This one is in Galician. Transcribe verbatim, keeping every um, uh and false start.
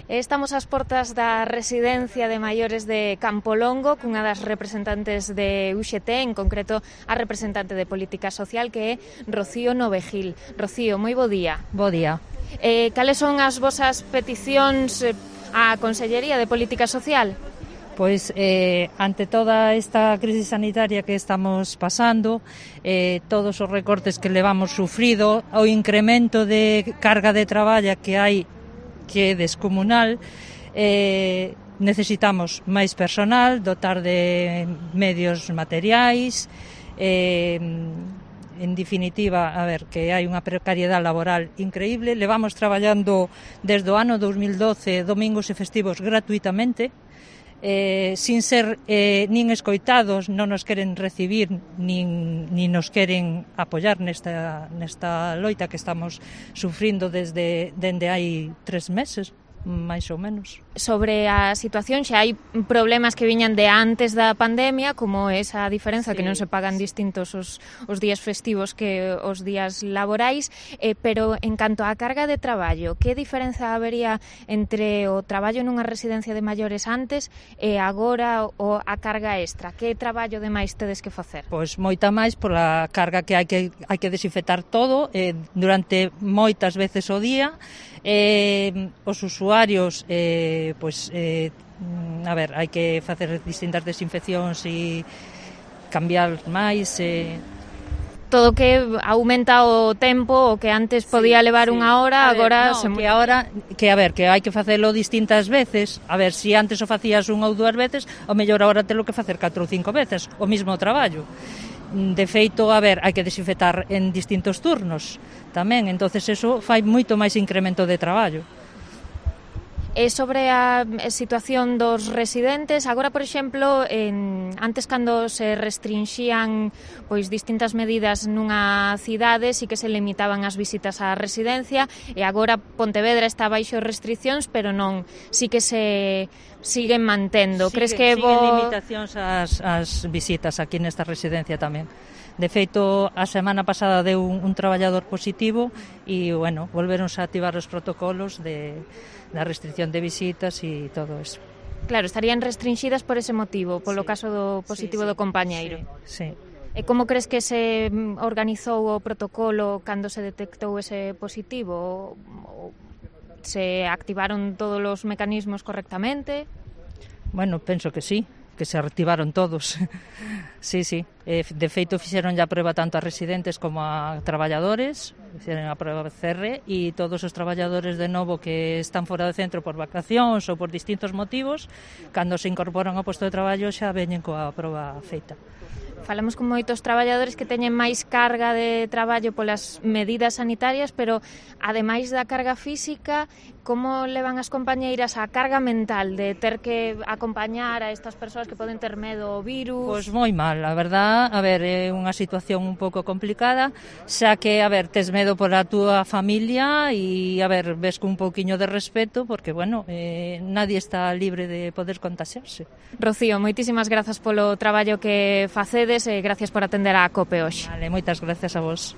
Estamos ás portas da residencia de maiores de Campolongo cunha das representantes de U X T, en concreto a representante de Política Social, que é Rocío Novejil. Rocío, moi bo día. Bo día. Eh, cales son as vosas peticións á Consellería de Política Social? Pois, eh, ante toda esta crisis sanitaria que estamos pasando, eh, todos os recortes que levamos sufrido, o incremento de carga de traballa que hai que é descomunal, eh, necesitamos máis personal, dotar de medios materiais, eh, en definitiva, a ver, que hai unha precariedade laboral increíble. Levamos traballando desde o ano dos mil doce domingos e festivos gratuitamente, eh, sin ser eh, nin escoitados, non nos queren recibir nin, nin nos queren apoiar nesta, nesta loita que estamos sufrindo desde dende hai tres meses, máis ou menos. Sobre a situación, xa hai problemas que viñan de antes da pandemia, como esa diferenza, sí, que non se pagan distintos os, os días festivos que os días laborais, eh, pero en canto á carga de traballo, que diferenza habería entre o traballo nunha residencia de maiores antes e agora o a carga extra? Que traballo de máis tedes que facer? Pois moita máis pola carga que hai que, hai que desinfectar todo eh, durante moitas veces o día. Eh, os usuarios eh, pois, eh, a ver, hai que facer distintas desinfeccións e cambiar máis eh. Todo que aumenta o tempo, o que antes podía levar sí, unha hora, ver, agora no, se... que agora, que a ver, que hai que facelo distintas veces. A ver, se si antes o facías unha ou dúas veces, o mellor agora telo que facer catro ou cinco veces o mismo traballo. De feito, a ver, hai que desinfectar en distintos turnos tamén, entonces eso fai moito máis incremento de traballo. E sobre a situación dos residentes, agora, por exemplo, en, antes cando se restrinxían pois distintas medidas nunha cidade, si que se limitaban as visitas á residencia, e agora Pontevedra está baixo restriccións, pero non, si que se siguen mantendo. Sigue, Crees que siguen bo... limitacións ás, ás visitas aquí nesta residencia tamén. De feito, a semana pasada deu un, un traballador positivo e, bueno, volveronse a activar os protocolos de, da restricción de visitas e todo eso. Claro, estarían restringidas por ese motivo, polo sí. caso do positivo sí, sí. do compañeiro. Sí, sí. E como crees que se organizou o protocolo cando se detectou ese positivo? Se activaron todos os mecanismos correctamente? Bueno, penso que sí, que se activaron todos. Sí, sí. De feito, fixeron a proba tanto a residentes como a traballadores, fixeron a proba C R e todos os traballadores de novo que están fora do centro por vacacións ou por distintos motivos, cando se incorporan ao posto de traballo xa veñen coa proba feita. Falamos con moitos traballadores que teñen máis carga de traballo polas medidas sanitarias, pero ademais da carga física, como levan as compañeiras a carga mental de ter que acompañar a estas persoas que poden ter medo ao virus? Pois moi mal, a verdad, a ver, é unha situación un pouco complicada, xa que, a ver, tes medo por a túa familia e, a ver, ves con un pouquiño de respeto, porque, bueno, eh, nadie está libre de poder contaxiarse. Rocío, moitísimas grazas polo traballo que facedes e gracias por atender a COPE hoxe. Vale, moitas gracias a vos.